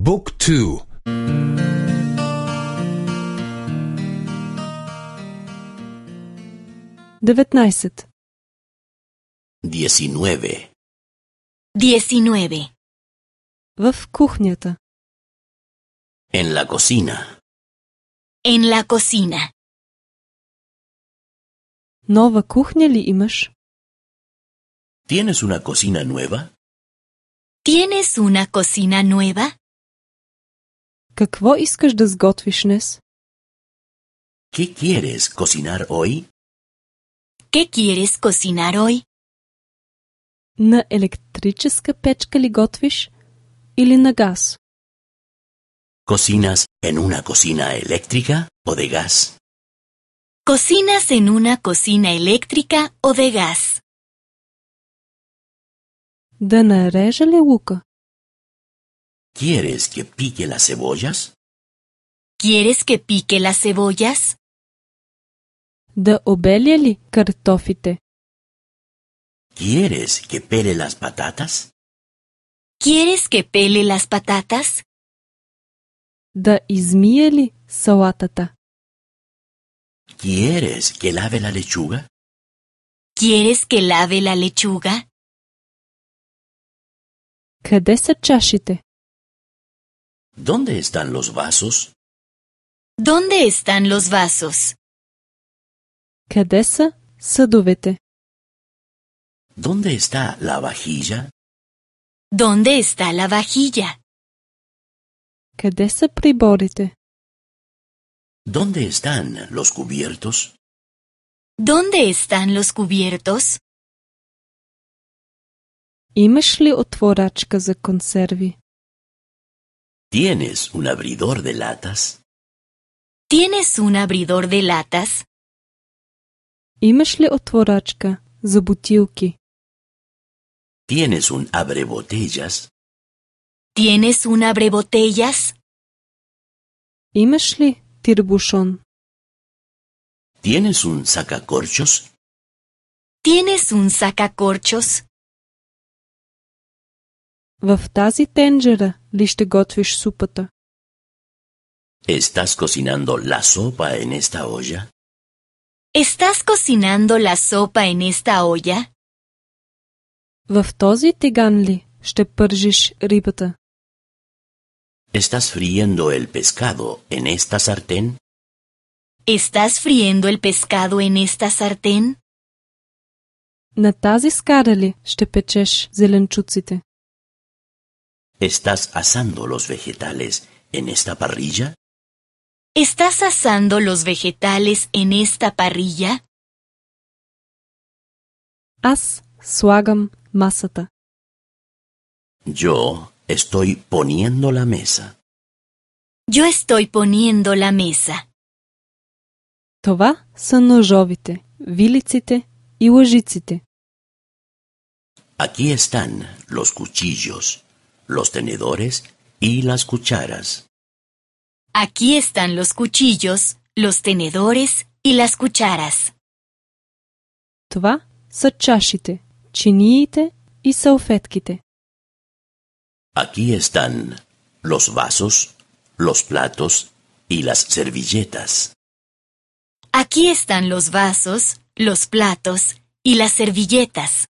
บุ๊กทู19 19. В кухнята. En la cocina. En la cocina. Нова кухня ли имаш? ¿Tienes una cocina nueva? ¿Tienes una cocina nueva? Какво искаш да сготвиш днес? ¿Qué quieres cocinar hoy? ¿Qué quieres cocinar hoy? На електрическа печка ли готвиш или на газ? ¿Cocinas en una cocina eléctrica o de gas? ¿Cocinas en una cocina eléctrica o de gas? Да нарежа ли лука? ¿Quieres que pique las cebollas? ¿Quieres que pique las cebollas? Да обеля ли картофите? ¿Quieres que pele las patatas? ¿Quieres que pele las patatas? Да измие ли салатата? ¿Quieres que lave la lechuga? ¿Quieres que lave la lechuga? Къде са чашите? ¿Dónde están los vasos? ¿Dónde están los vasos? Къде са съдовете? ¿Dónde está la vajilla? ¿Dónde está la vajilla? Къде са приборите? ¿Dónde están los cubiertos? ¿Dónde están los cubiertos? Имаш ли отворачка за консерви? ¿Tienes un abridor de latas? ¿Tienes un abridor de latas? Имаш ли отворачка за бутилки? ¿Tienes un abrebotellas? ¿Tienes un abrebotellas? Имаш ли тирбушон? ¿Tienes un sacacorchos? ¿Tienes un sacacorchos? В тази тенджера ли ще готвиш супата? ¿Estás cocinando la sopa en esta olla? ¿Estás cocinando la sopa en esta olla? В този тиган ли ще пържиш рибата? ¿Estás friendo el pescado en esta sartén? ¿Estás friendo el pescado en esta sartén? На тази скара ли ще печеш зеленчуците? ¿Estás asando los vegetales en esta parrilla? ¿Estás asando los vegetales en esta parrilla? Аз слагам масата. Yo estoy poniendo la mesa. Yo estoy poniendo la mesa. Това са ножовите, вилиците и лъжиците. Aquí están los cuchillos, los tenedores y las cucharas. Aquí están los cuchillos, los tenedores y las cucharas. Това са чашите, чиниите и салфетките. Aquí están los vasos, los platos y las servilletas. Aquí están los vasos, los platos y las servilletas.